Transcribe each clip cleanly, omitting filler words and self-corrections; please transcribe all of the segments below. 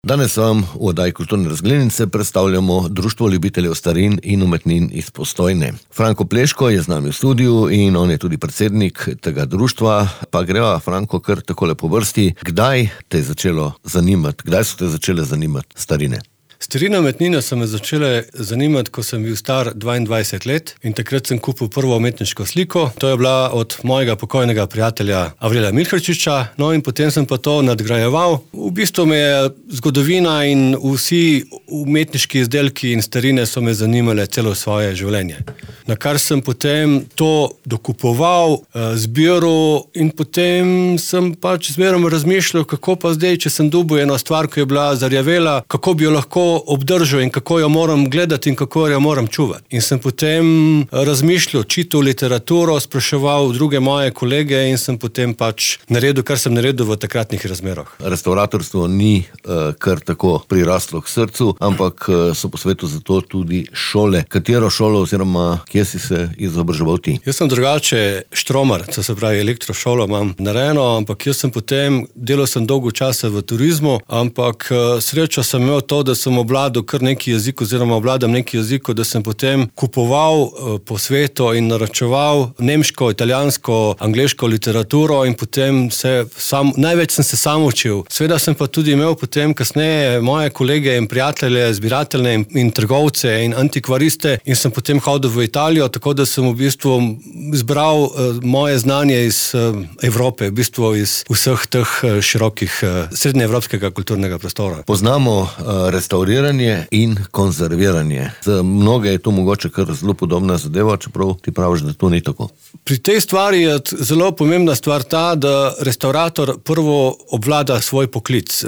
Danes vam v oddaji Kulturne razglednice predstavljamo Društvo ljubiteljev starin in umetnin iz Postojne. Franko Pleško je z nami v studiu in on je tudi predsednik tega društva. Pa greva, Franko, kar takole po vrsti. Kdaj so te začele zanimati starine? Starina umetnina so me začele zanimati, ko sem bil star 22 let in takrat sem kupil prvo umetniško sliko. To je bila od mojega pokojnega prijatelja Avrela Milharčiča, no in potem sem pa to nadgrajeval. V bistvu me je zgodovina in vsi umetniški izdelki in starine so me zanimale celo svoje življenje. Na kar sem potem to dokupoval, zbiral in potem sem pač zmerom razmišljal, kako pa zdaj, če sem dobil eno stvar, ki je bila zarjavela, kako bi jo lahko obdržal in kako jo moram gledati in kako jo moram čuvati. In sem potem razmišljal, čital literaturo, spraševal druge moje kolege in sem potem pač naredil, kar sem naredil v takratnih razmerah. Restavratorstvo ni kar tako priraslo k srcu, ampak so po svetu zato tudi šole. Katero šolo oziroma kje si se izobraževal ti? Jaz sem drugače štromar, to se pravi elektrošolo imam narejeno, ampak jaz sem potem, delal sem dolgo časa v turizmu, ampak srečo sem imel to, da sem obvladal kar neki jezik oziroma obvladam neki jezik, da sem potem kupoval po svetu in naročeval nemško, italijansko, angleško literaturo in potem največ sem se sam učil. Seveda sem pa tudi imel potem kasneje moje kolege in prijatelje, zbiratelje in trgovce in antikvariste in sem potem hodil v Italijo, tako da sem v bistvu zbral moje znanje iz Evrope, v bistvu iz vseh teh širokih srednjeevropskega kulturnega prostora. Poznamo restauriranje in konzerviranje. Za mnoge je to mogoče kar zelo podobna zadeva, čeprav ti praviš, da to ni tako. Pri tej stvari je zelo pomembna stvar ta, da restaurator prvo obvlada svoj poklic.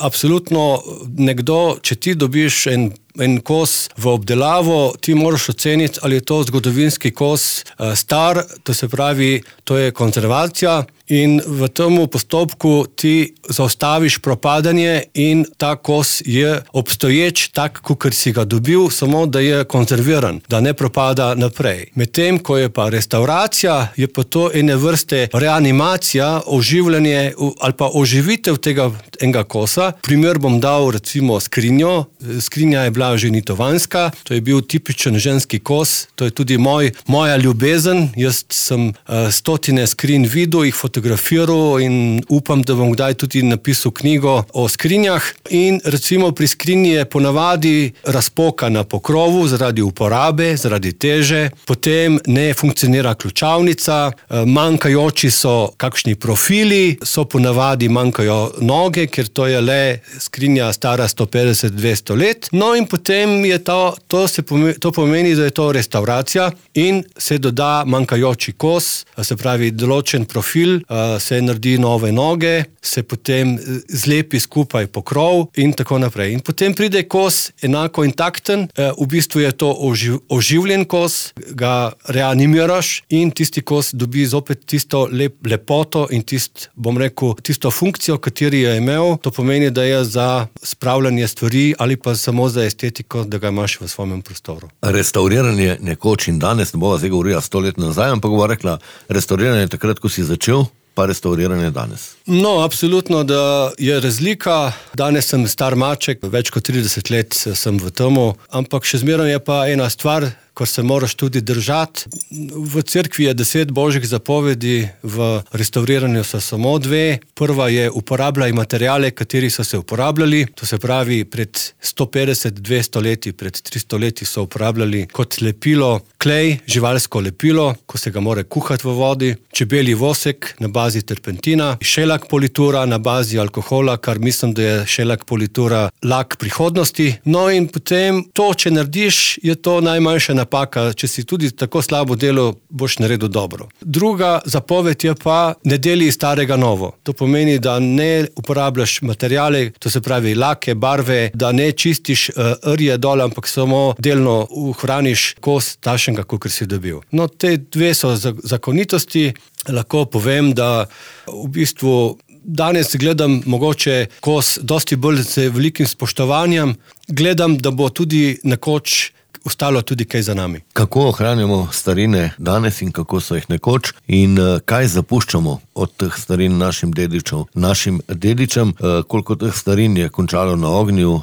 Absolutno nekdo, če ti dobiš en kos v obdelavo, ti moraš oceniti, ali je to zgodovinski kos star, to se pravi, to je konzervacija in v tem postopku ti zaustaviš propadanje in ta kos je obstoječ tak, kakor si ga dobil, samo da je konzerviran, da ne propada naprej. Medtem, ko je pa restauracija, je pa to ene vrste reanimacija, oživljanje ali pa oživitev tega enega kosa. Primer bom dal recimo skrinjo. Skrinja je bila ženitovanska, to je bil tipičen ženski kos, to je tudi moja ljubezen. Jaz sem stotine skrinj videl, jih fotografiral in upam, da bom kdaj tudi napisal knjigo o skrinjah. In recimo pri skrinji je ponavadi razpoka na pokrovu zaradi uporabe, zaradi teže, potem ne funkcionira ključavnica, manjkajoči so kakšni profili, ponavadi manjkajo noge, ker to je le skrinja stara 150-200 let. No in potem je to pomeni, da je to restauracija in se doda manjkajoči kos, se pravi določen profil, se naredi nove noge, se potem zlepi skupaj pokrov in tako naprej. In potem pride kos enako intakten, v bistvu je to oživljen kos, ga reanimiraš in tisti kos dobi zopet tisto lepoto in tisto funkcijo, kateri je imel. To pomeni, da je za spravljanje stvari ali pa samo za estetiko, da ga imaš v svojem prostoru. Restauriranje nekoč in danes, ne bova zdaj govorila 100 let nazaj, ampak bova rekla, restauriranje takrat, ko si začel, pa restauriranje danes. No, absolutno, da je razlika. Danes sem star maček, več kot 30 let sem v temu, ampak še zmeraj je pa ena stvar, ko se moraš tudi držati. V cerkvi je 10 božjih zapovedi, v restauriranju so samo 2. Prva je uporabljaj materiale, kateri so se uporabljali. To se pravi, pred 150-200 leti, pred 300 leti so uporabljali kot lepilo klej, živalsko lepilo, ko se ga mora kuhati v vodi, čebelji vosek na bazi terpentina, šelak politura na bazi alkohola, kar mislim, da je šelak politura lak prihodnosti. No in potem to, če narediš, je to najmanjša napaka. Če si tudi tako slabo delo, boš naredil dobro. Druga zapoved je pa, ne deli starega novo. To pomeni, da ne uporabljaš materiale, to se pravi lake, barve, da ne čistiš rje dol, ampak samo delno ohraniš kos takšnega, kakor si dobil. No, te 2 so zakonitosti. Lahko povem, da v bistvu danes gledam mogoče kos dosti bolj z velikim spoštovanjem. Gledam, da bo tudi nekoč ostalo tudi kaj za nami. Kako ohranjamo starine danes in kako so jih nekoč in kaj zapuščamo od teh starin našim dedičem, koliko teh starin je končalo na ognju,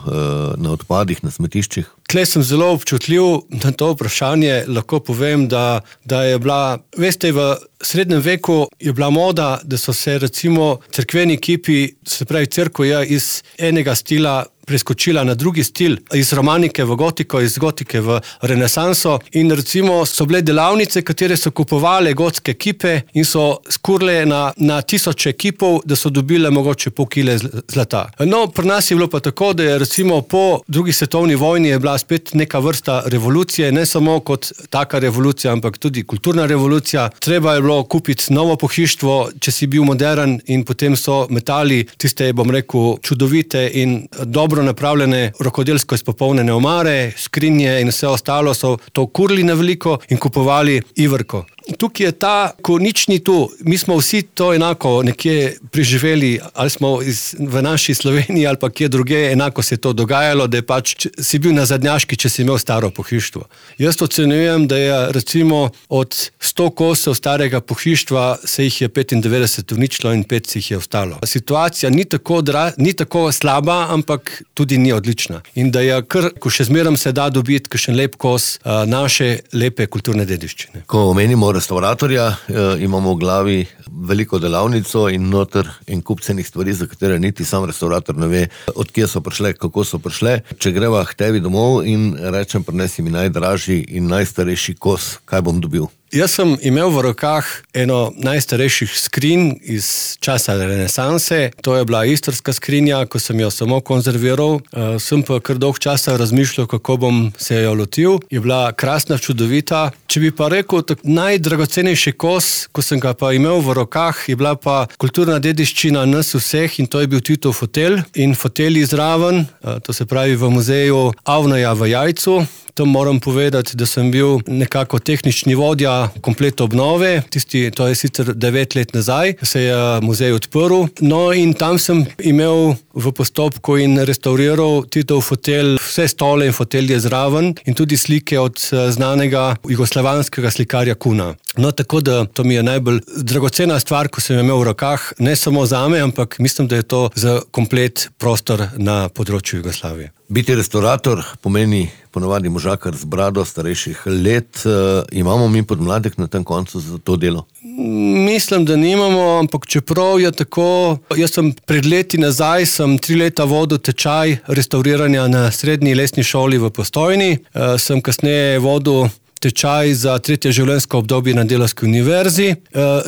na odpadih, na smetiščih? Tle sem zelo občutljiv na to vprašanje, lahko povem, da je bila, veste, v srednjem veku je bila moda, da so se recimo cerkveni kipi, se pravi cerkev je iz enega stila preskočila na drugi stil, iz romanike v gotiko, iz gotike v renesanso in recimo so bile delavnice, katere so kupovale gotske kipe in so skurle na tisoče kipov, da so dobile mogoče pol kile zlata. No, pri nas je bilo pa tako, da je recimo po drugi svetovni vojni je bila spet neka vrsta revolucije, ne samo kot taka revolucija, ampak tudi kulturna revolucija. Treba je bilo kupiti novo pohištvo, če si bil modern in potem so metali tiste, bom rekel, čudovite in dobro napravljene, rokodelsko izpopolnjene omare, skrinje in vse ostalo so to kurili na veliko in kupovali iverko. Tukaj je ta, ko nič ni tu, mi smo vsi to enako nekje preživeli, ali smo v naši Sloveniji ali pa kje druge, enako se je to dogajalo, da je pač si bil na zadnjaški, če si imel staro pohištvo. Jaz ocenjujem, da je recimo od 100 kosov starega pohištva se jih je 95 uničilo in 5 se jih je ostalo. Situacija ni tako slaba, ampak tudi ni odlična. In da je kar, ko še zmerom se da dobiti kakšen lep kos naše lepe kulturne dediščine. Ko omenimo restauratorja, imamo v glavi veliko delavnico in noter en kup cenih stvari, za katere niti sam restaurator ne ve, od kje so prišle, kako so prišle. Če greva k tebi domov in rečem, prinesi mi najdražji in najstarejši kos, kaj bom dobil? Jaz sem imel v rokah eno najstarejših skrinj iz časa renesanse, to je bila istrska skrinja, ko sem jo samo konzerviral, sem pa kar dolg časa razmišljal, kako bom se jo lotil, je bila krasna, čudovita. Če bi pa rekel, najdragocenejši kos, ko sem ga pa imel v rokah, je bila pa kulturna dediščina nas vseh in to je bil Titov fotelj in fotelji zraven, to se pravi v muzeju Avneja v Jajcu. Tam moram povedati, da sem bil nekako tehnični vodja komplet obnove, to je sicer 9 let nazaj, se je muzej odprl, no in tam sem imel v postopku in restauriral Titov fotelj, vse stole in fotelje zraven in tudi slike od znanega jugoslovanskega slikarja Kuna. No, tako da to mi je najbolj dragocena stvar, ko sem imel v rokah, ne samo zame, ampak mislim, da je to za komplet prostor na področju Jugoslavije. Biti restaurator pomeni ponovadi možakar z brado starejših let. Imamo mi podmladek na tem koncu za to delo? Mislim, da nimamo, ampak čeprav je tako, jaz sem pred leti nazaj, sem 3 leta vodil tečaj restauriranja na srednji lesni šoli v Postojni, sem kasneje vodil tečaj za 3. življenjsko obdobje na Delavski univerzi.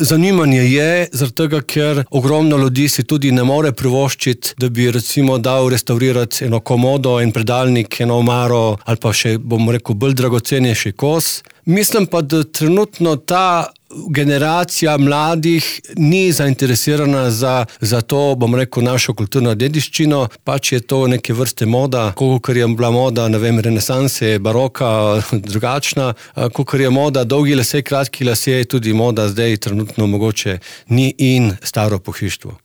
Zanimanje je, zaradi tega, ker ogromno ljudi si tudi ne more privoščiti, da bi recimo dal restaurirati eno komodo, en predalnik, eno omaro ali pa še, bom rekel, bolj dragocenejši kos. Mislim pa, da trenutno ta generacija mladih ni zainteresirana za to, bom rekel, našo kulturno dediščino, pač je to neke vrste moda, kakor je bila moda, ne vem, renesanse, baroka, drugačna, kakor je moda dolgi lasje, kratki lasje, tudi moda zdaj trenutno mogoče ni in staro pohištvo.